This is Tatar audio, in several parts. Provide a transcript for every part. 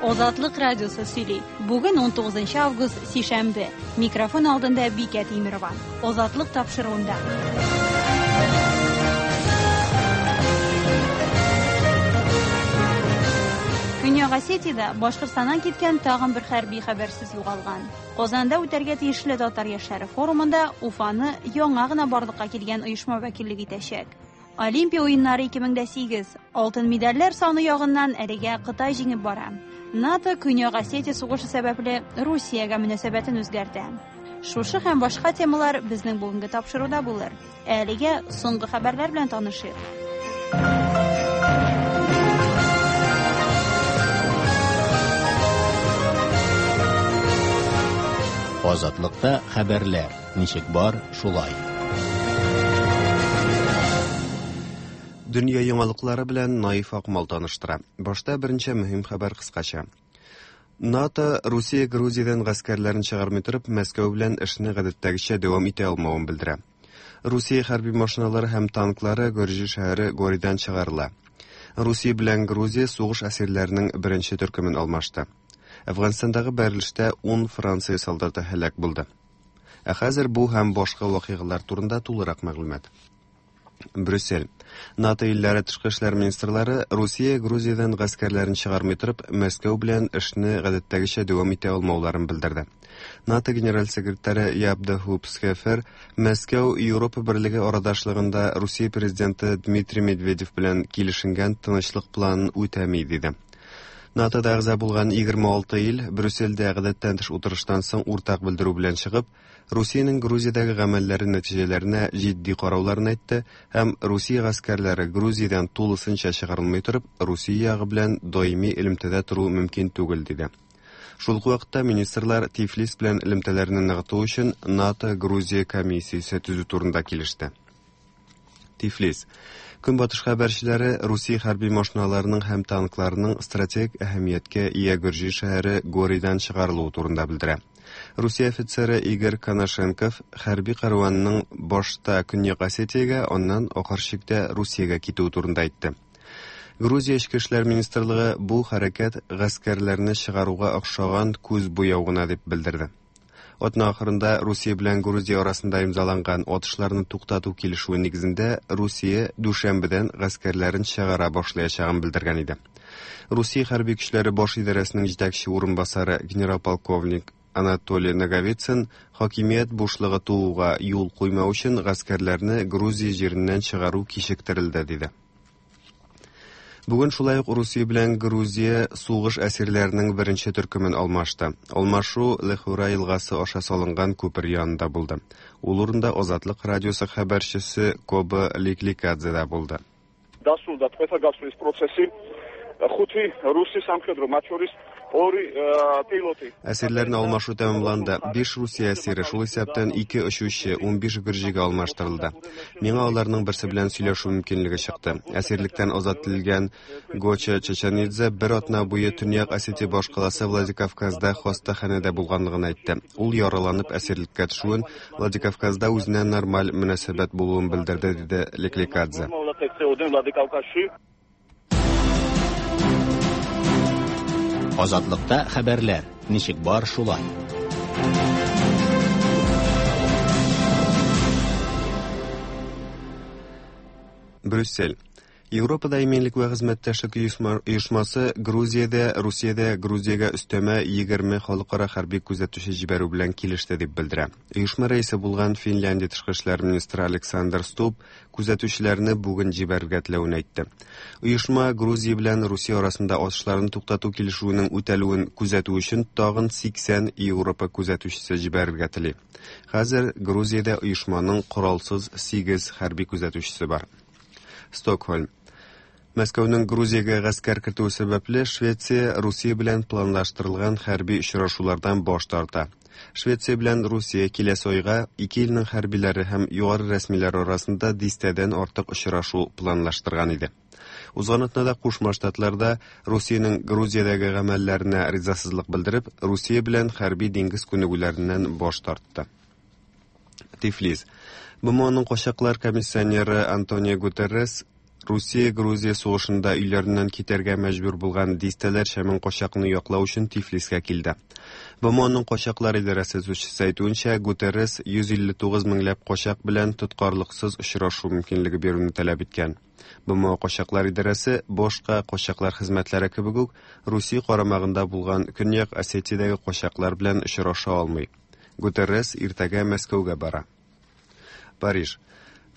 Азатлык радиосы сөйли. Бүген 19 август, сишәмбе. Микрофон алдында Бикә Тимерова. Азатлык тапшыруында. Көньяк Осетиядә Башкортстаннан киткән тагын бер хәрби хәбәрсез югалган. Казанда үтәргә тиешле татар яшьләре форумында Уфаны яңа гына барлыкка килгән оешма вәкиллек итәчәк. Олимпия уеннары 2008. Алтын медальләр саны ягыннан әлегә Кытай җиңеп бара. НАТО Көньяк Осетия сугышы сәбәпле Русиягә мөнәсәбәтен үзгәртә. Шушы һәм башка темалар безнең бүгенге тапшыруда булыр. Ә әлегә соңгы хәбәрләр белән танышыйк. Азатлыкта хәбәрләр ничек бар, шулай. Дөнья яңалыклары белән Наиф Акмал таныштыра. Башта берничә мөһим хәбәр кыскача. НАТО Русия Грузиядән гаскәрләрен чыгармый торып, Мәскәү белән эшне гадәттәгечә дәвам итә алмавын белдерә. Русия хәрби машиналары һәм танклары Гөрҗи шәһәре Горидан чыгарыла. Русия белән Грузия сугыш әсирләренең беренче төркемен алмашты. Әфганстандагы бәрелештә 10 Франция солдаты һәлак булды. Ә хәзер бу һәм башка вакыйгалар турында тулырак мәгълүмат. Брюссель. НАТО илләре тышкы эшләр министрлары Русия Грузиядән гаскәрләрен чыгармый торып, Мәскәү белән эшне гадәттәгечә дәвам итә алмауларын белдерде. НАТО генераль секретаре Яб де Хуп Схефер Мәскәү Европа берлеге арадашлыгында Русия президенты Дмитрий Медведев белән килешенгән тынычлык планын үтәми, диде. НАТОда әгъза булган 26 ил Брюссельдә гадәттән тыш утырыштан соң уртак белдерү белән чыгып, Русиянең Грузиядәге гамәлләре нәтиҗәләренә җитди карауларын әйтте һәм Русия гаскәрләре Грузиядән тулысынча чыгарылмый торып, Русия ягы белән даими элемтәдә тору мөмкин түгел, диде. Шул ук вакытта министрлар Тифлис белән элемтәләрне ныгыту өчен НАТО-Грузия комиссиясе төзү турында килеште. Тифлис. Көнбатыш хәбәрчеләре Русия хәрби машиналарының һәм танкларының стратегик әһәмияткә ия Гөрҗи шәһәре Горидан чыгарылуы турында белдерә. Русия офицеры Игорь Конашенков хәрби кәрванның башта Көньяк Осетиягә, аннан ахыр чиктә Русиягә китүе турында әйтте. Грузия Эчке эшләр министрлыгы бу хәрәкәт гаскәрләрне чыгаруга охшаган күз буяу гына дип белдерде. Атна ахырында Русия белән Грузия арасында имзаланган атышларны туктату килешүе нигезендә Русия дүшәмбедән гаскәрләрен чыгара башлаячагын белдергән иде. Русия хәрби көчләре баш идарәсенең җитәкче урынбасары генерал-полковник Анатолий Наговицын хакимият бушлыгы тууга юл куймау өчен гаскәрләрне Грузия җиреннән чыгару кичектерелде, диде. Бүген шулай ук Русия белән Грузия сугыш әсирләренең беренче төркемен алмашты. Алмашу Лехура елгасы аша салынган күпер янында булды. Ул урында Азатлык радиосы хәбәрчесе Коба Ликликадзе да булды. დასრულდა ტყვეთა გასვლის პროცესი. ხუთი რუსი სამხედრო, მათ შორის ორი პილოტი. Әсирләрне алмашу тәмамланды. Биш Русия әсире, шул исәптән ике очучы, 15 гөрҗигә алмаштырылды. Миңа аларның берсе белән сөйләшү мөмкинлеге чыкты. Әсирлектән азат ителгән Гоча Чачанидзе бер атна буе Төньяк Осетия башкаласы Владикавказда хастаханәдә булганлыгын әйтте. Ул яраланып әсирлеккә төшүен, Владикавказда үзенә нормаль мөнәсәбәт булуын белдерде, диде Лекликадзе. Азатлыкта хәбәрләр ничек бар шулай. Брюссель. Европада иминлек вә хезмәттәшлек оешмасы Грузиядә, Русиядә Грузиягә өстәмә 20 халыкара хәрби күзәтүче җибәрү белән килеште дип белдерә. Оешма рәисе булган Финляндия тышкы эшләр министры Александр Стуб күзәтүчеләрне бүген җибәрергә теләвен әйтте. Оешма Грузия белән Русия арасында атышларны туктату килешүенең үтәлүен күзәтү өчен тагын 80 Европа күзәтүчесе җибәрергә тели. Хәзер Грузиядә оешманың коралсыз 8 хәрби күзәтүчесе бар. Стокһольм. Мәскәүнең Грузиягә гаскәр кертүе сәбәпле Швеция Русия белән планлаштырылган хәрби очрашулардан баш тарта. Швеция белән Русия киләсе айга ике илнең хәрбиләре һәм югары рәсмиләре арасында дистәдән артык очрашу планлаштырган иде. Узган атнада Кушма Штатларда Русиянең Грузиядәге гамәлләренә ризасызлык белдереп, Русия белән хәрби диңгез күнегүләреннән баш тартты. Тифлис. БМОның качаклар комиссионеры Антонио Гутеррес Русия-Грузия сугышында өйләреннән китәргә мәҗбүр булган дистәләрчә мең качакны яклау өчен Тифлискә килде. БМОның качаклар идарәсе сүзчесе әйтүенчә, Гутеррес 159 меңләп качак белән тоткарлыксыз очрашу мөмкинлеге бирүне таләп иткән. БМО качаклар идарәсе башка качаклар хезмәтләре кебек үк Русия карамагында булган Көньяк Осетиядәге качаклар белән очраша алмый. Гутеррес иртәгә Мәскәүгә бара. Париж.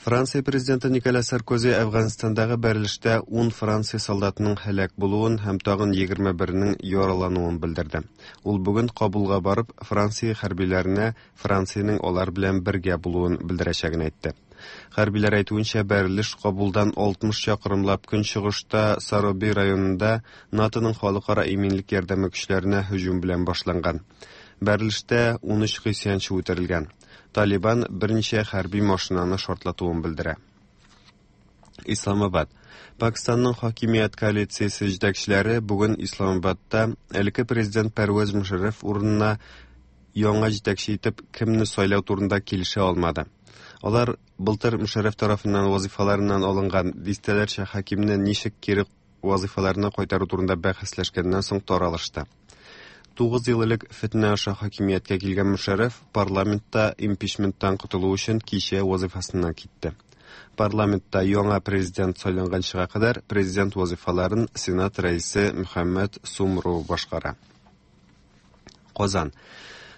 Франция президенты Николя Саркози Әфганстандагы бәрелештә 10 Франция солдатының һәлак булуын һәм тагын 21-нең яралануын белдерде. Ул бүген Кабулга барып, Франция хәрбиләренә Франциянең алар белән бергә булуын белдерәчәген әйтте. Хәрбиләр әйтүенчә, бәрелеш Кабулдан 60 чакрымлап көнчыгышта Сароби районында НАТОның халыкара иминлек ярдәме көчләренә һөҗүм белән башланган. Бәрелештә 13 гыйсьянчы үтерелгән. Талибан берничә хәрби машинаны шартлатуын белдерә. Исламабад. Пакистанның хакимият коалициясе җитәкчеләре бүген Исламабадта элекке президент Пәрвәз Мушарраф урынына яңа җитәкче итеп кемне сайлау турында килешә алмады. Алар былтыр Мушарраф тарафыннан вазифаларыннан алынган дистәләрчә хакимне ничек кире вазифаларына кайтару турында бәхәсләшкәннән соң таралышты. 9 ел элек фетнә аша хакимияткә килгән Мушарраф парламентта импичменттан котылу өчен кичә вазифасыннан китте. Парламентта яңа президент сайланганчыга кадәр президент вазифаларын Сенат рәисе Мөхәммәд Сумру башкара. Казан.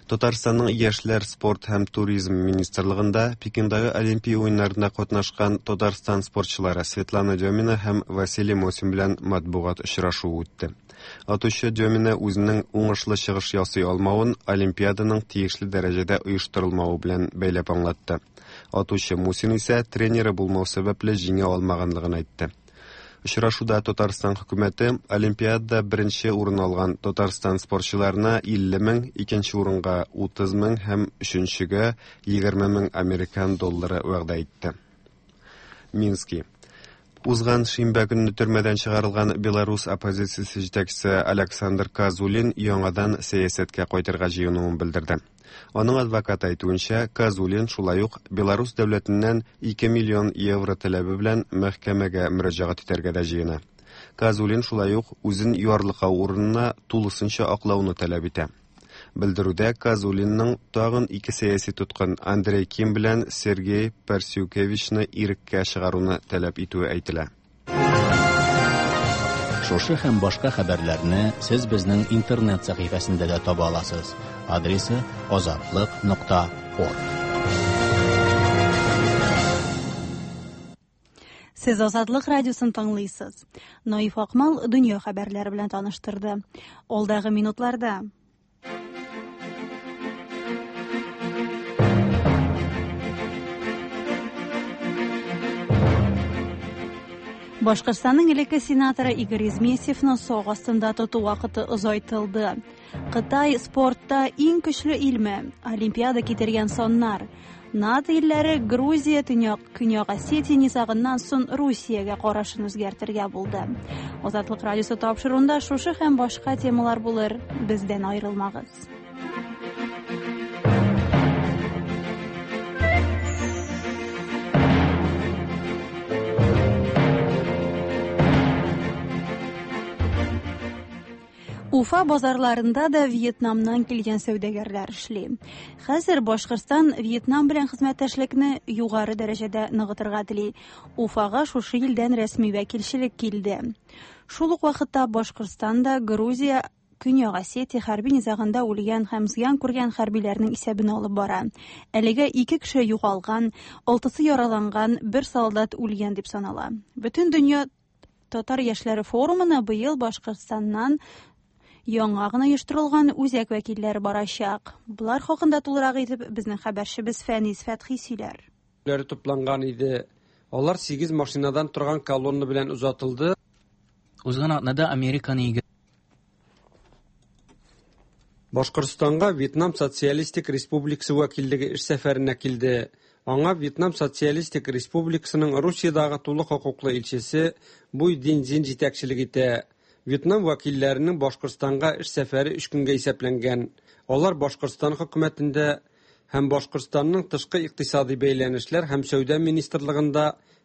Татарстанның яшьләр, спорт һәм туризм министрлыгында Пекиндагы Олимпия уеннарында катнашкан Татарстан спортчылары Светлана Демина һәм Василий Мосин белән матбугат очрашуы үтте. Атучы Демина үзенең уңышлы чыгыш ясый алмавын Олимпиаданың тиешле дәрәҗәдә оештырылмавы белән бәйләп аңлатты. Атучы Мусин исә тренеры булмау сәбәпле җиңә алмаганлыгын әйтте. Очрашуда Татарстан хөкүмәте Олимпиадада беренче урын алган Татарстан спортчыларына 50 мең, икенче урынга 30 мең һәм өченчегә 20 мең американ доллары вәгъдә итте. Мински. Узган шимбә көнне төрмәдән чыгарылган Беларус оппозициясе җитәкчесе Александр Казулин яңадан сәясәткә кайтырга җыенуын белдерде. Аның адвокаты әйтүенчә, Казулин шулай ук Беларус дәүләтеннән 2 миллион евро таләбе белән мәхкәмәгә мөрәҗәгать итәргә дә җыена. Казулин шулай ук үзен ярлыкау урынына тулысынча аклауны таләп итә. Белдерүдә Казулинның тагын ике сәяси тоткын Андрей Ким белән Сергей Парсюкевичны иреккә чыгаруны таләп итүе әйтелә. Шушы һәм башка хәбәрләрне сез безнең интернет сәхифәсендә дә таба аласыз. Адресы azatliq.org. Сез Азатлык радиосын тыңлыйсыз. Наиф Акмал дөнья хәбәрләре белән таныштырды. Алдагы минутларда Башкортстанның элекке сенаторы Игорь Измесьевны сак астында тоту вакыты озайтылды. Кытай спортта иң көчле илме? Олимпиада китергән саннар. НАТО илләре Грузия, Төньяк, Көньяк Осетия низагыннан соң Русиягә карашын үзгәртергә булды. Азатлык радиосы тапшыруында шушы һәм башка темалар булыр. Бездән аерылмагыз. Уфа базарларында да Вьетнамнан килгән сәүдәгәрләр эшли. Хәзер Башкортстан Вьетнам белән хезмәттәшлекне югары дәрәҗәдә ныгытырга тели. Уфага шушы илдән рәсми вәкилчелек килде. Шул ук вакытта Башкортстанда Грузия Көньяк Осетия хәрби низагында үлгән һәм зыян күргән хәрбиләрнең исәбен алып бара. Әлегә 2 кеше югалган, 6-сы яраланган, 1 солдат үлгән дип санала. Бөтен дөнья татар яшьләре форумына быел Башкортстаннан яңа гына оештырылган үзәк вәкилләре барачак. Булар хакында тулырак итеп безнең хәбәрчебез Фәнис Фәтхи сөйләр. Тупланган иде. Алар 8 машинадан торган колонна белән озатылды. Узган атнада Американы Башкортстанга Вьетнам Социалистик Республикасы вәкиллеге эш сәфәренә килде. Аңа Вьетнам Социалистик Республикасының Русиядагы тулы хокуклы илчесе Буй Динзин җитәкчелек итә. Вьетнам вәкилләренең Башкортстанга эш сәфәре 3 көнгә исәпләнгән. Алар Башкортстан хөкүмәтендә һәм Башкортстанның тышкы икътисади бәйләнешләр һәм сәүдә министрлыгында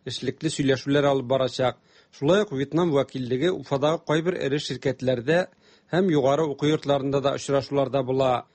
эшлекле сөйләшүләр алып барачак. Шулай ук Вьетнам вәкиллеге Уфадагы кайбер эре ширкәтләрдә һәм югары уку йортларында да очрашуларда була.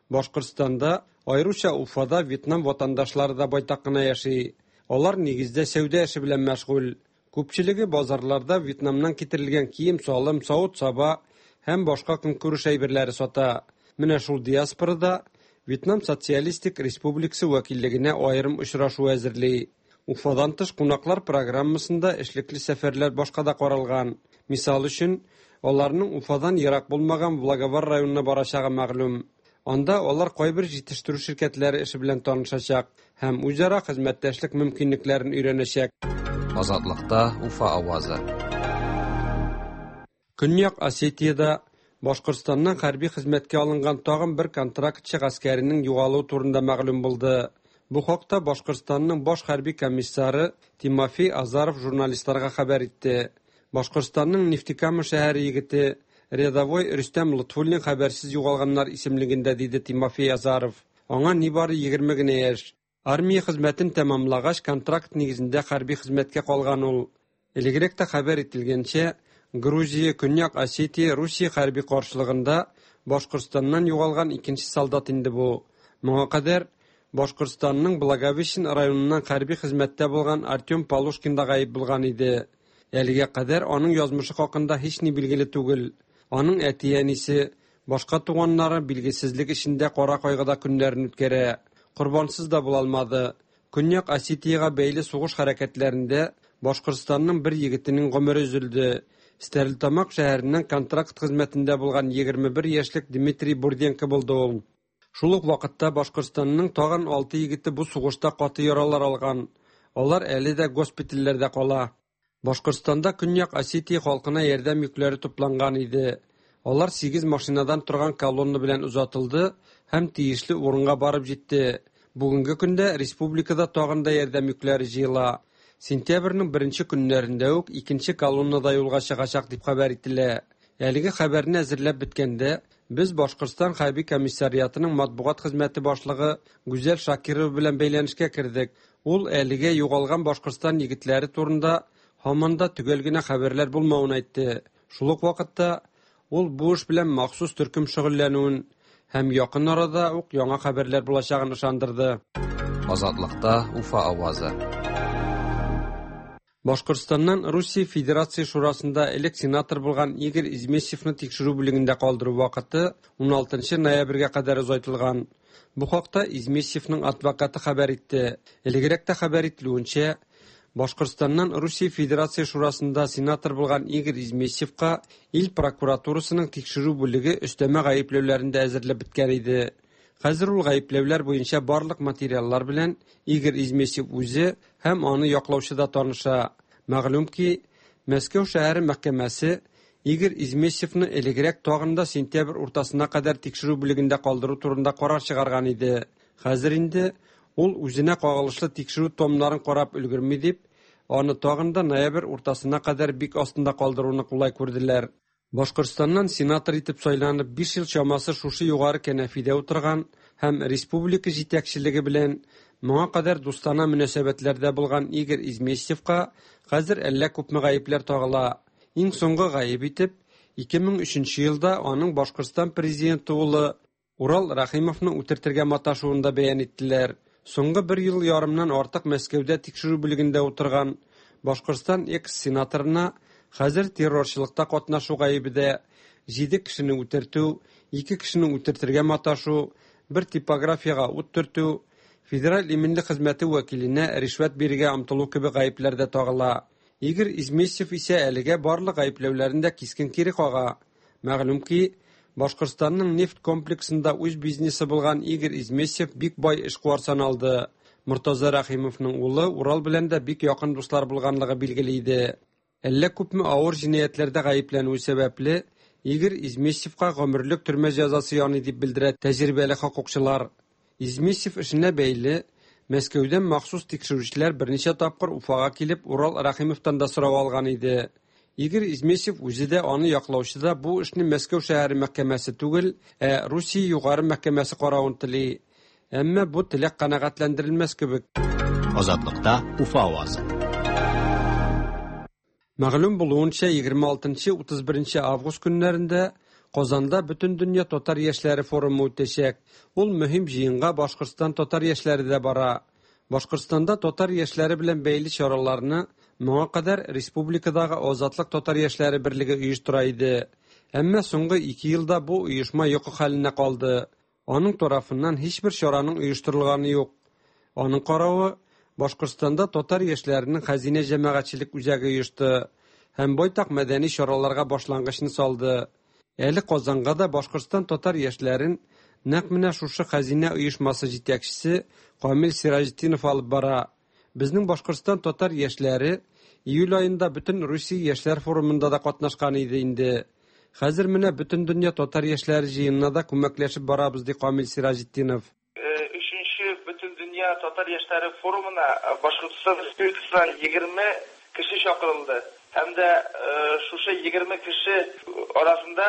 Башкортстанда, аеруча Уфада Вьетнам ватандашлары да байтак кына яши. Алар нигездә сәүдә эше белән мәшгуль. Күпчелеге базарларда Вьетнамнан китерелгән кием-салым, савыт-саба һәм башка көнкүреш әйберләре сата. Менә шул диаспорада Вьетнам Социалистик Республикасы вәкиллегенә аерым очрашу әзерли. Уфадан тыш кунаклар программасында эшлекле сәфәрләр башка да каралган. Мисал өчен, аларның Уфадан ерак булмаган Благовар районына барачагы мәгълүм. Анда алар кайбер җитештерү ширкәтләре эше белән танышачак һәм үзара хезмәттәшлек мөмкинлекләрен өйрәнәчәк. Азатлыкта Уфа авазы. Көньяк Осетиядә Башкортстаннан хәрби хезмәткә алынган тагын бер контрактчы гаскәренең югалуы турында мәгълүм булды. Бу хакта Башкортстанның баш хәрби комиссары Тимофей Азаров журналистларга хәбәр итте. Башкортстанның Нефтекама шәһәре егете рядовой Рөстәм Лотфуллин хәбәрсез югалганнар исемлегендә, диде Тимофей Азаров. Аңа нибары 20 генә яшь. Армия хезмәтен тәмамлагач, контракт нигезендә хәрби хезмәткә калган ул. Элегрәк тә хәбәр ителгәнчә, Грузия, Көньяк Осетия, Русия хәрби каршылыгында Башкортстаннан югалган икенче солдат инде бу. Моңа кадәр Башкортстанның Благовещен районыннан хәрби хезмәттә булган Артем Полушкин да гаип булган иде. Әлегә кадәр аның язмышы хакында һични билгеле түгел. Аның әти-әнисе, башка туганнары билгесезлек эчендә кара кайгыда көннәрен үткәрә. Корбансыз да була алмады. Көньяк Осетиягә бәйле сугыш хәрәкәтләрендә Башкортстанның бер егетенең гомере өзелде. Стәрлетамак шәһәреннән контракт хезмәтендә булган 21 яшьлек Дмитрий Бурденко булды ул. Шул ук вакытта Башкортстанның тагын 6 егете бу сугышта каты яралар алган. Алар әле дә госпитальләрдә кала. Башкортстанда Көньяк Осетия халкына ярдәм йөкләре тупланган иде. Алар 8 машинадан торган колонна белән озатылды һәм тиешле урынга барып җитте. Бүгенге көндә республикада тагын да ярдәм йөкләре җыела. Сентябрьнең беренче көннәрендә үк икенче колонна да юлга чыгачак дип хәбәр ителә. Әлеге хәбәрне әзерләп беткәндә, без Башкортстан хәрби комиссариатының матбугат хезмәте башлыгы Гүзәл Шакирова белән бәйләнешкә кердек. Ул әлегә югалган Башкортстан егетләре турында һаман да төгәл генә хәбәрләр булмавын әйтте. Шул ук вакытта ул бу эш белән махсус төркем шөгыльләнүен һәм якын арада ук яңа хәбәрләр булачагын ышандырды. Азатлыкта Уфа авазы. Башкортстаннан Русия Федерация Шурасында элек сенатор булган Игорь Измесьевны тикшерү бүлегендә калдыру вакыты 16 ноябрьгә кадәр озайтылган. Бу хакта Измесьевның адвокаты хәбәр итте. Элегрәк тә хәбәр ителүенчә, Башкортстаннан Русия Федерация Шурасында сенатор булган Игорь Измесьевка ил прокуратурасының тикшерү бүлеге өстәмә гаепләүләрен дә әзерләп беткән иде. Хәзер ул гаепләүләр буенча барлык материаллар белән Игорь Измесьев үзе һәм аны яклаучы да таныша. Мәгълүм ки, Мәскәү шәһәре мәхкәмәсе Игорь Измесьевны элегрәк тагын да сентябрь уртасына кадәр тикшерү бүлегендә калдыру турында карар чыгарган иде. Хәзер инде ул үзенә кагылышлы тикшерү томнарын карап өлгерми дип, аны тагын да ноябрь уртасына кадәр бик астында калдыруны кулай күрделәр. Башкортстаннан сенатор итеп сайланып 5 ел чамасы шушы югары кәнәфидә утырган һәм республика җитәкчелеге белән моңа кадәр дустана мөнәсәбәтләрдә булган Игорь Изместьевка хәзер әллә күпме гаепләр тагыла. Иң соңгы гаеп итеп 2003 елда аның Башкортстан президенты улы Урал Рәхимовны үтертергә маташуын да бәян иттеләр. Соңгы бер ел ярымнан артык Мәскәүдә тикшерү бүлегендә утырган Башкортстан экс-сенаторына хәзер террорчылыкта катнашу гаебе дә, 7 кешене үтертү, 2 кешене үтертергә маташу, бер типографиягә ут төртү, федераль иминлек хезмәте вәкиленә ришвәт бирергә омтылу кебек гаепләр дә тагыла. Игорь Изместьев исә әлегә барлык гаепләүләрен дә кискен кире кага. Мәгълүм ки, Башкортстанның нефть комплексында үз бизнесы булган Игорь Изместьев бик бай эшкуар саналды. Мортаза Рәхимовның улы Урал белән дә бик якын дуслар булганлыгы билгеле иде. Әллә күпме авыр җинаятьләрдә гаепләнүе сәбәпле, Игорь Изместьевка гомерлек төрмә җәзасы яный дип белдерә тәҗрибәле хокукчылар. Изместьев эшенә бәйле Мәскәүдән махсус тикшерүчеләр берничә тапкыр Уфага килеп Урал Рәхимовтан да сорау алган иде. Игорь Изместьев үзе дә аны яклаучы да бу эшне Мәскәү шәһәре мәхкәмәсе түгел, ә Русия югары мәхкәмәсе каравын тели. Әмма бу теләк канәгатьләндерелмәс кебек. Азатлыкта Уфа авазы. Мәгълүм булуынча, 26-31 август көннәрендә Казанда Бөтендөнья татар яшьләре форумы үтәчәк. Ул мөһим җыенга Башкортстан татар яшьләре дә бара. Башкортстанда татар яшьләре белән бәйле чараларны моңа кадәр республикадагы Азатлык татар яшьләре берлеге оештыра иде. Әмма соңгы ике елда бу оешма йокы хәленә калды. Аның тарафыннан һичбер чараның оештырылганы юк. Аның каравы, Башкортстанда татар яшьләренең Хәзинә җәмәгатьчелек үзәге оешты һәм байтак мәдәни чараларга башлангычны салды. Әле Казанга да Башкортстан татар яшьләрен нәкъ менә шушы Хәзинә оешмасы җитәкчесе Камил Сираҗетдинов алып бара. Безнең Башкортстан татар яшьләре июль аенда бөтен Русия яшьләр форумында да катнашкан иде инде. Хәзер менә Бөтендөнья татар яшьләре җыенына да күмәкләшеп барабыз, ди Камил Сираҗетдинов. Өченче Бөтендөнья татар яшьләре форумына Башкортстан Республикасыннан 20 кеше чакырылды. Һәм дә шушы 20 кеше арасында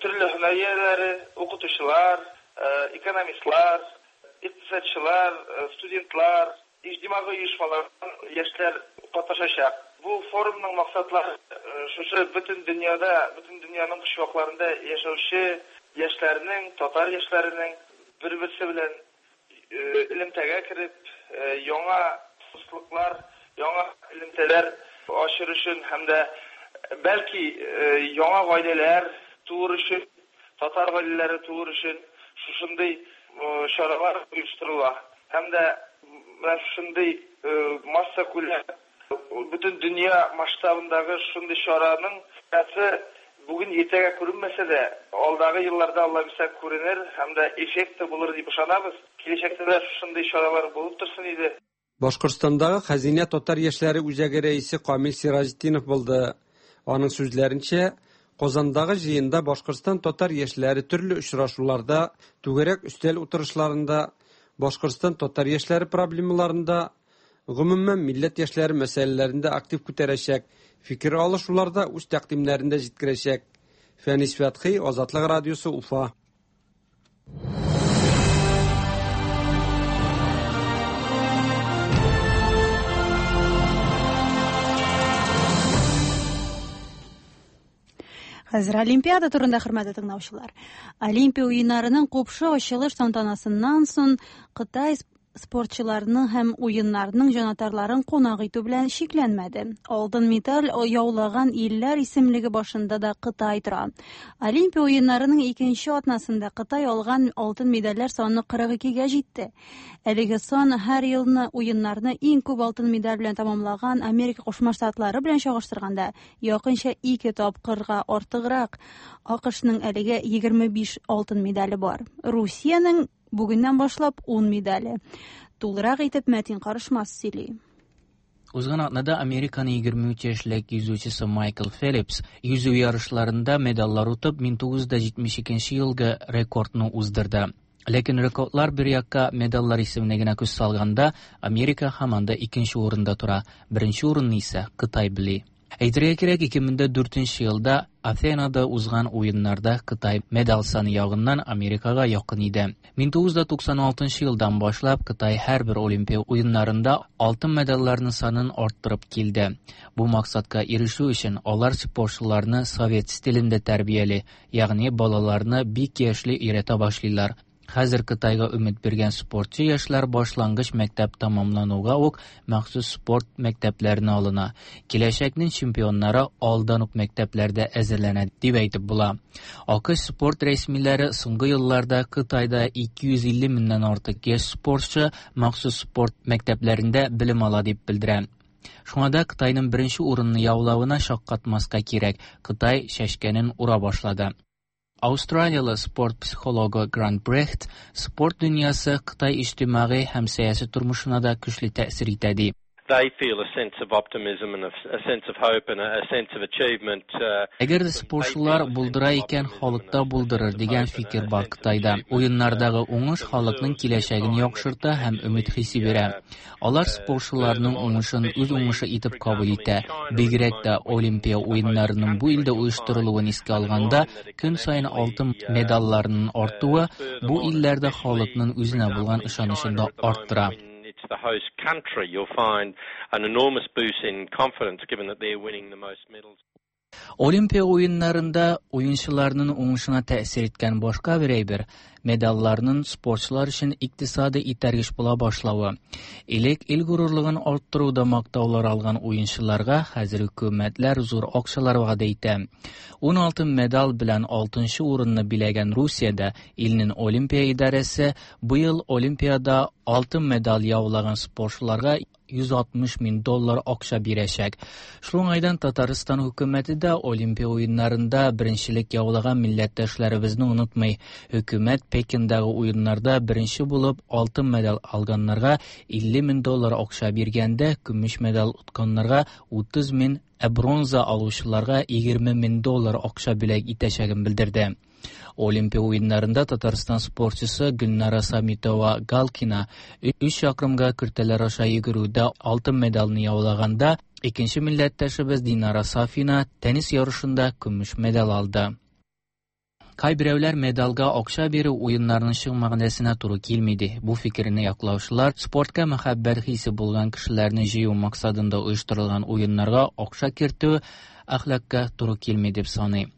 төрле һөнәр ияләре, укытучылар, экономистлар, икътисадчылар, студентлар, иҗтимагый оешмалардан яшьләр катнашачак. Бу форумның максатлары шушы бөтен дөньяда, бөтен дөньяның почмакларында яшәүче яшьләрнең, татар яшьләренең бер-берсе белән элемтәгә кереп, яңа дуслыклар, яңа элемтәләр ачыр өчен һәм дә бәлки яңа гаиләләр туыр өчен, татар гаиләләре туыр өчен шушындый чаралар оештырыла. Һәм дә менә шушындый массакүләм, бөтен дөнья масштабындагы шушындый чараның файдасы бүген иртәгә күренмәсә дә, алдагы елларда Алла бирсә күренер һәм дә эффекты булыр дип ышанабыз. Киләчәктә дә шушындый чаралар булып торсын иде. Башкортстандагы Хәзинә татар яшьләре үзәге рәисе Камил Сираҗетдинов булды. Аның сүзләренчә, Казандагы җыенда Башкортстан татар яшьләре төрле очрашуларда, түгәрәк өстәл утырышларында, Башкортстан татар яшьләре проблемаларында, гомумән, милләт яшьләре мәсьәләләрен дә актив күтәрәчәк, фикер алышуларда үз тәкъдимнәрен дә җиткерәчәк. Фәнис Фәтхи, Азатлык радиосы, Уфа. Хәзер Олимпиада турында, хөрмәтле тыңлаучылар. Олимпия уеннарының купшы ачылыш тантанасыннан соң Кытай спортчыларның һәм уеннарның җанатарларын кунак итү белән чикләнмәде. Алтын медаль яулаган илләр исемлеге башында да Кытай тора. Олимпия уеннарының икенче атнасында Кытай алган алтын медальләр саны 42-гә җитте. Әлеге сан һәр елны уеннарны иң күп алтын медаль белән тәмамлаган Америка Кушма Штатлары белән чагыштырганда якынча ике тапкырга артыграк. АКШның әлегә 25 алтын медале бар. Русиянең бүгеннән башлап 10 медале. Тулырак итеп Мәтин Карышмас сөйли. Узган атнада Американың 23 яшьлек йөзүчесе Майкл Фелипс йөзү ярышларында медальләр отып 1972 елгы рекордны уздырды. Ләкин рекордлар бер якка, медальләр исеменә генә күз салганда, Америка һаман да икенче урында тора. Беренче урынны исә Кытай били. Әйтергә кирәк, 2004 елда Афинада узган уеннарда Кытай медаль саны ягыннан Америкага якын иде. 1996 елдан башлап Кытай һәрбер Олимпия уеннарында алтын медальләрнең санын арттырып килде. Бу максатка ирешү өчен алар спортчыларны совет стилендә тәрбияли, ягъни балаларны бик яшьли өйрәтә башлыйлар. Хәзер Кытайга өмет биргән спортчы яшьләр башлангыч мәктәп тәмамлануга ук махсус спорт мәктәпләренә алына. Киләчәкнең чемпионнары алдан ук мәктәпләрдә әзерләнә дип әйтеп була. АКШ спорт рәсмиләре соңгы елларда Кытайда 250 меңнән артык яшь спортчы махсус спорт мәктәпләрендә белем ала дип белдерә. Шуңа да Кытайның беренче урынны яулавына шаккатмаска кирәк. Кытай чәчкәнен ура башлады. Австралиялы спорт психологы Грант Брехт спорт дөньясы Кытай иҗтимагый һәм сәяси тормышына да көчле тәэсир итә ди. They feel a sense of optimism and a sense of hope and a sense of achievement. Әгәр дә спортчылар булдыра икән, халык та булдырыр дигән фикер бар Кытайда. Уеннардагы уңыш халыкның киләчәген яхшырта һәм өмет хисе бирә. Алар спортчыларның уңышын үз уңышы итеп кабул итә. Бигрәк тә Олимпия уеннарының бу илдә оештырылуын искә алганда, көн саен алтын медальләрнең артуы бу илләрдә халыкның үзенә булган ышанычын да арттыра. It's the host country, you'll find an enormous boost in confidence given that they're winning the most medals. Олимпия уеннарында уенчыларның уңышына тәэсир иткән башка бер әйбер медальләрнең спортчылар өчен икътисади этәргеч була башлавы. Элек ил горурлыгын арттыруда мактаулар алган уенчыларга хәзер хөкүмәтләр зур акчалар вәгъдә итә. 16 медаль белән 6 урынны биләгән Русиядә илнең Олимпия идарәсе быел Олимпиада алтын медаль яулаган спортчыларга 160 мең доллар акча бирәчәк. Шул уңайдан Татарстан хөкүмәте дә Олимпия уеннарында беренчелек яулаган милләттәшләребезне онытмый. Хөкүмәт Пекиндагы уеннарда беренче булып алтын медаль алганнарга 50 мең доллар акча биргәндә, көмеш медаль отканнарга 30 мең, ә бронза алучыларга 20 мең доллар акча бүләк итәчәген белдерде. Олимпия уеннарында Татарстан спортчысы Гөлнара Самитова Галкина 3 чакрымга киртәләр аша йөгерүдә алтын медальне яулаганда, икенче милләттәшебез Динара Сафина теннис ярышында көмеш медаль алды. Кайберәүләр медальгә акча бирү уеннарның чын мәгънәсенә туры килми ди. Бу фикерне яклаучылар спортка мәхәббәт хисе булган кешеләрне җыю максатында оештырылган уеннарга акча кертү әхлакка туры килми дип саный.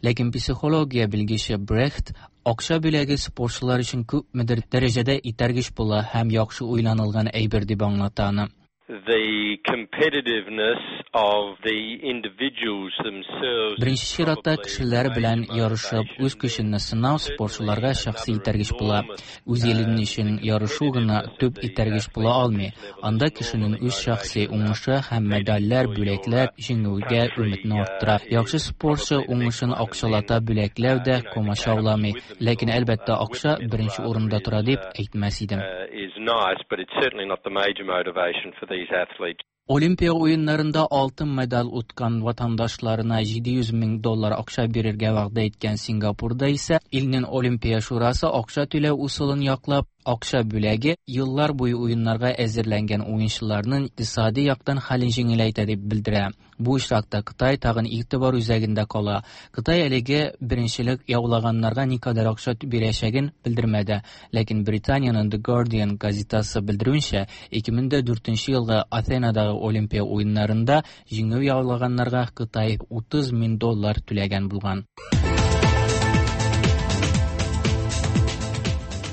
Ләкин психология белгече Брехт акча бүләге спортчылар өчен күпмедер дәрәҗәдә этәргеч була һәм яхшы уйланылган әйбер дип аңлата аны. The competitiveness of the individuals themselves. Беренче чиратта кешеләр белән ярышып, үз көчеңне сынау спортчыларга шәхси этәргеч була. Үз илең өчен ярышу гына төп этәргеч була алмый. Анда кешенең үз шәхси уңышы һәм медальләр, бүләкләр җиңүгә өметне арттыра. Яхшы спортчы уңышын акчалата бүләкләү дә комачауламый. Ләкин әлбәттә акча беренче урында тора дип әйтмәс идем. Is nice, but it's certainly not the major motivation for these athletes. Олимпия уеннарында алтын медаль откан ватандашларына 700 мең доллар акча бирергә вәгъдә иткән Сингапурда исә илнең Олимпия шурасы акча түләү усылын яклап, акча бүләге еллар буе уеннарга әзерләнгән уенчыларның икътисади яктан хәлен җиңеләйтә дип белдерә. Бу очракта Кытай тагын игътибар үзәгендә кала. Кытай әлеге беренчелек яулаганнарга никадәр акча бирәчәген белдермәде. Ләкин Британиянең The Guardian газетасы белдерүенчә, 2004 елгы Атенадагы Олимпия уеннарында җиңү яулаганнарга Кытай 30 мең доллар түләгән булган.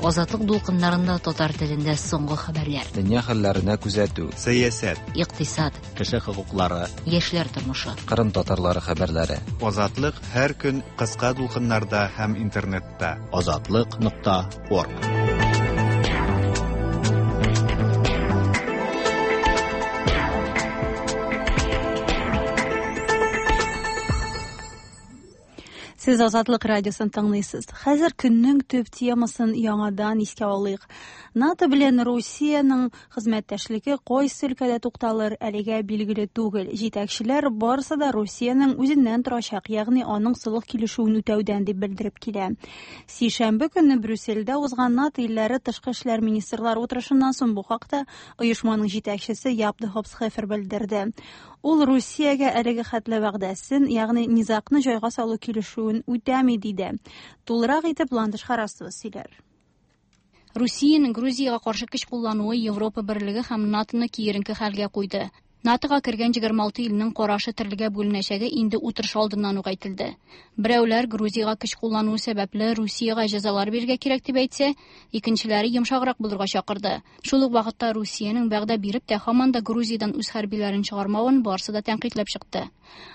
Азатлык дулкыннарында татар телендә соңгы хәбәрләр. Дөнья хәлләренә күзәтү. Сәясәт, Икътисад, Кеше хокуклары, яшьләр тормышы. Кырым татарлары хәбәрләре. Азатлык һәр көн кыска дулкыннарда һәм интернетта. Азатлык.орг. Сез Азатлык радиосын тыңлыйсыз. Хәзер көннең төп темасын яңадан искә алыйк. НАТО белән Русиянең хезмәттәшлеге кайсы өлкәдә тукталыр, әлегә билгеле түгел. Җитәкчеләр барысы да Русиянең үзеннән торачак, ягъни аның солых килешүен үтәүдән дип белдереп килә. Сишәмбе көнне Брюссельдә узган НАТО илләре тышкы эшләр министрлары утырышыннан соң бу хакта оешманың җитәкчесе Яп де Хоп Схефер белдерде. Ул Русиягә әлеге хәтле вәгъдәсен, ягъни низагны җайга салу килешүен үтәми диде. Тулырак итеп Ландыш Харасова сөйләр. Русиянең Грузиягә каршы көч куллануы Европа Берлеге һәм НАТО-ны киеренке хәлгә куйды. НАТО-га кергән 26 илнең карашы төрлегә бүленәчәге инде утырыш алдыннан ук әйтелде. Берәүләр Грузиягә көч куллануы сәбәпле Русиягә җәзалар бирергә кирәк дип әйтсә, икенчеләре йомшаграк булырга чакырды. Шул ук вакытта Русиянең вәгъдә биреп тә һаман да Грузиядән үз хәрбиләрен чыгармавын барысы да тәнкыйтьләп чыкты.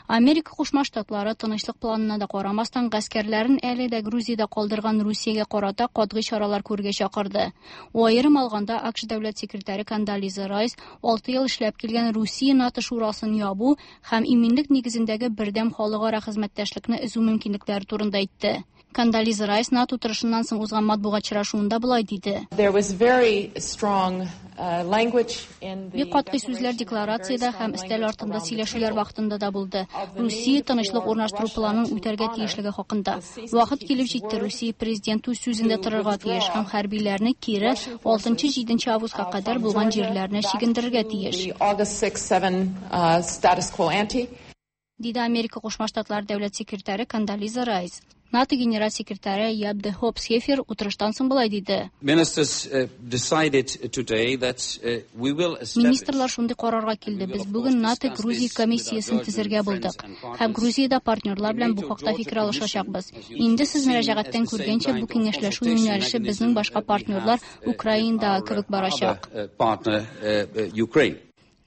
Америка Кушма Штатлары тынычлык планына да карамастан гаскәрләрен әле дә Грузиядә калдырган Русиягә карата катгый чаралар күрергә чакырды. Аерым алганда АКШ дәүләт секретаре Кондолиза Райс 6 ел эшләп килгән Русия Русия НАТО шурасын ябу һәм иминлек нигезендәге бердәм халыкара хезмәттәшлекне өзү мөмкинлекләре турында әйтте. Кондолиза Райс НАТО утырышыннан соң узган матбугат очрашуында болай диде. Бик катгый сүзләр декларациядә һәм өстәл артында сөйләшүләр вакытында да булды. Русия тынычлык урнаштыру планын үтәргә тиешлеге хакында. Вакыт килеп җитте, Русия президенты үз сүзендә торырга тиеш һәм хәрбиләрне кире 6-7 августка кадәр булган җирләренә чигендерергә тиеш. Диде Америка Кушма Штатлары дәүләт секретаре Кондолиза Райс. НАТО генераль секретаре Яп де Хоп Схефер утырыштан соң болай диде. Министрлар шундый карарга килде. Без бүген НАТО Грузия комиссиясен төзергә булдык. Һәм Грузиядә партнерлар белән бу хакта фикер алышачакбыз. Инде сез мөрәҗәгатьтән күргәнчә, бу киңәшләшү юнәлеше безнең башка партнерлар Украинадагы кебек барачак.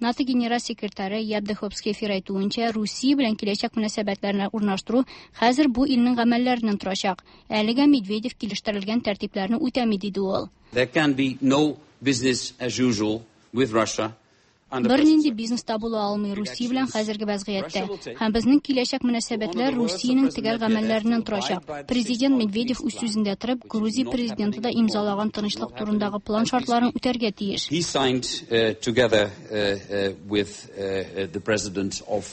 НАТО генераль секретаре Яп де Хоп Схефер әйтүенчә, Русия белән киләчәк мөнәсәбәтләрне урнаштыру хәзер бу илнең гамәлләреннән торачак. Әлегә Медведев килештерелгән тәртипләрне үтәми, диде ул. There can be no business as usual with Russia. Бернинди бизнес та була алмый Русия белән хәзерге вәзгыятьтә. Һәм безнең киләчәк мөнәсәбәтләр Русиянең төгәл гамәлләреннән торачак. Президент Медведев үз сүзендә торып, Грузия президенты да имзалаган тынычлык турындагы план шартларын үтәргә тиеш. He signed together with the president of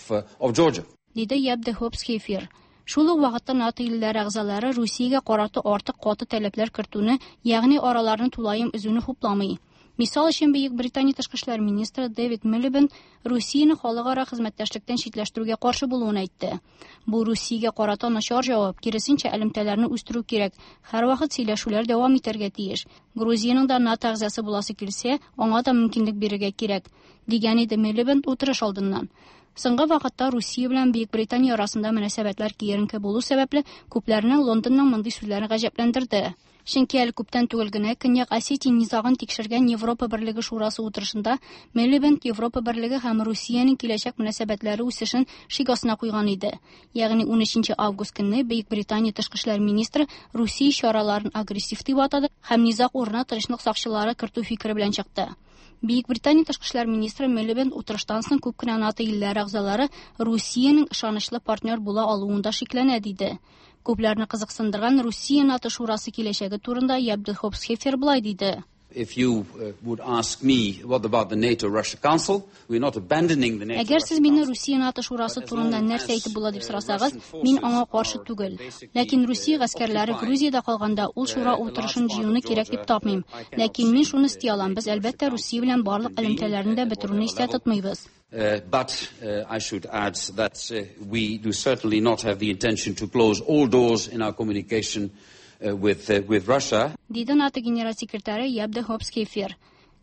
Georgia. Диде Яп де Хоп Схефер. Шул ук вакытта НАТО илләре әгъзалары Русиягә карата артык каты таләпләр кертүне, ягъни араларны тулаем өзүне хупламый. Мисал өчен, Бөек Британия тышкы эшләр министры Дэвид Милибенд Русияне халыкара хезмәттәшлектән читләштерүгә каршы булуын әйтте. Бу Русиягә карата начар җавап, киресенчә, элемтәләрне үстерү кирәк. Һәрвакыт сөйләшүләр дәвам итәргә тиеш. Грузиянең дә НАТО әгъзасы буласы килсә, аңа да мөмкинлек бирергә кирәк, дигән иде Милибенд утырыш алдыннан. Соңгы вакытта Русия белән Бөек Британия арасында мөнәсәбәтләр киеренке булу сәбәпле, күпләрне Лондонның мондый сүзләре гаҗәпләндерде. Чөнки әле күптән түгел генә Көньяк Осетия низагын тикшергән Европа Берлеге Шурасы утырышында Милибенд Европа Берлеге һәм Русиянең киләчәк мөнәсәбәтләре үсешен шик астына куйган иде. Ягъни 13 август көнне Бөек Британия тышкы эшләр министры Русия чараларын агрессив дип атады һәм низаг урынына тынычлык сакчылары кертү фикере белән чыкты. Бөек Британия тышкы эшләр министры Милибенд утырыштан соң күп кенә НАТО илләре әгъзалары Русиянең ышанычлы партнер була алуында шикләнә, диде. Күпләрне кызыксындырган Русия НАТО шурасы киләчәге турында Яп де Хоп Схефер болай диде. If you would ask me what about the NATO-Russia Council, we're not abandoning the NATO. Әгәр сез мине Русия НАТО шурасы турында нәрсә әйтеп була дип сорасагыз, мин аңа каршы түгел. Ләкин Русия гаскәрләре Грузиядә калганда ул шура утырышын җыюны кирәк дип тапмыйм. Ләкин мин шуны исти алам, без әлбәттә Русия белән барлык элемтәләрне дә бетерүне истә тотмыйбыз. But I should add that we do certainly not have the intention to close all doors in our communication with Russia. Диде НАТО генераль секретаре Яп де Хоп Схефер.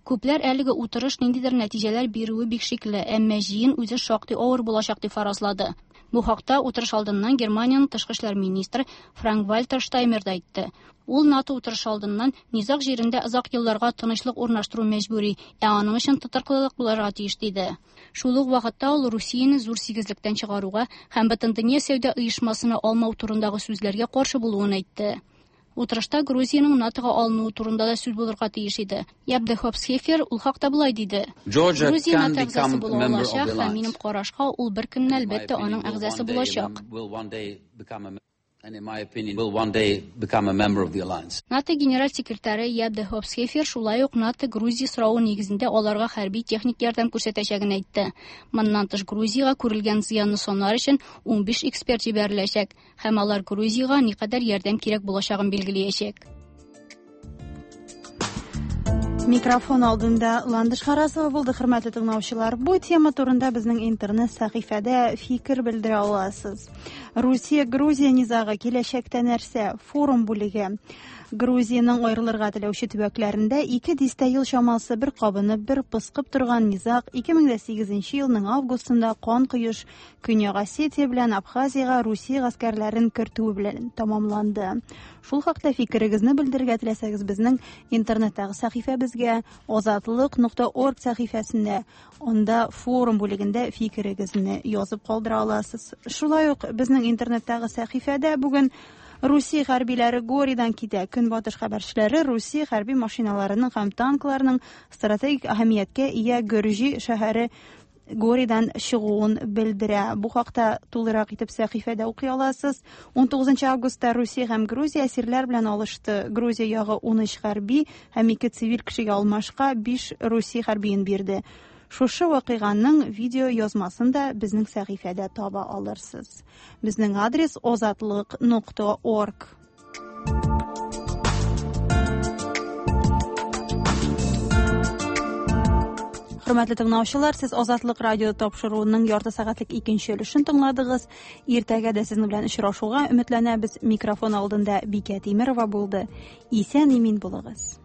Күпләр әлеге утырыш ниндидер нәтиҗәләр бирүе бик шикле, әмма җыен үзе шактый авыр булачак дип фаразлады. Бу хакта утырыш алдыннан Германиянең тышкы эшләр министры Франк-Вальтер Штаймер да әйтте. Ул НАТО утырышы алдыннан низаг җирендә озак елларга тынычлык урнаштыру мәҗбүри, ә аның өчен тотрыклылык булырга тиеш, диде. Шул ук вакытта ул Русияне зур сигезлектән чыгаруга һәм Бөтендөнья сәүдә оешмасына алмау турындагы сүзләргә каршы булуын әйтте. Утырышта Грузиянең НАТОга алынуы турында да сүз булырга тиеш иде. Яп де Хоп Схефер ул хакта болай диде. Грузия НАТО әгъзасы була алачак һәм минем карашка ул бер көнне әлбәттә аның әгъзасы булачак. And in my opinion, will one day become a member of the alliance. НАТО генераль секретаре Яп де Хоп Схефер шулай ук НАТО Грузия соравы нигезендә аларга хәрби техник ярдәм күрсәтәчәген әйтте. Моннан тыш Грузиягә күрелгән зыянны санар өчен 15 эксперт җибәреләчәк һәм алар Грузиягә никадәр ярдәм кирәк булачагын билгеләячәк. Микрофон алдында Ландыш Харасова булды, хөрмәтле тыңлаучылар. Бу тема турында безнең интернет сәхифәдә фикер белдерә аласыз. Русия-Грузия низагы киләчәктә нәрсә? Форум бүлеге. Грузиянең аерылырга теләүче төбәкләрендә 2 дистә ел чамасы бер кабынып, бер пыскып торган низаг 2008 елның августында кан коеш Көньяк Осетия белән Абхазиягә Русия гаскәрләрен кертүе белән тәмамланды. Шул хакта фикерегезне белдерергә теләсәгез, безнең интернеттагы сәхифәбезгә azatliq.org сәхифәсендә, анда форум бүлегендә фикерегезне язып калдыра аласыз. Шулай ук безнең интернеттагы сәхифәдә бүген Русия хәрбиләре Горидан китә. Көнбатыш хәбәрчеләре Русия хәрби машиналарының һәм танкларының стратегик әһәмияткә ия Гөрҗи шәһәре Горидан чыгуын белдерә. Бу хакта тулырак итеп сәхифәдә укый аласыз. 19 августта Русия һәм Грузия әсирләр белән алышты. Грузия ягы 13 хәрби һәм 2 цивиль кешегә алмашка 5 Русия хәрбиен бирде. Шушы вакыйганың видео язмасын да безнең сәхифәдә таба алырсыз. Безнең адрес озатлык.орг. Хөрмәтле тыңлаучылар, сез Азатлык радио тапшыруының ярты сәгатьлек икенче өлешен тыңладыгыз. Иртәгә дә сезнең белән очрашуга өметләнәбез. Микрофон алдында Бикә Тимерова булды. Исән имин булыгыз.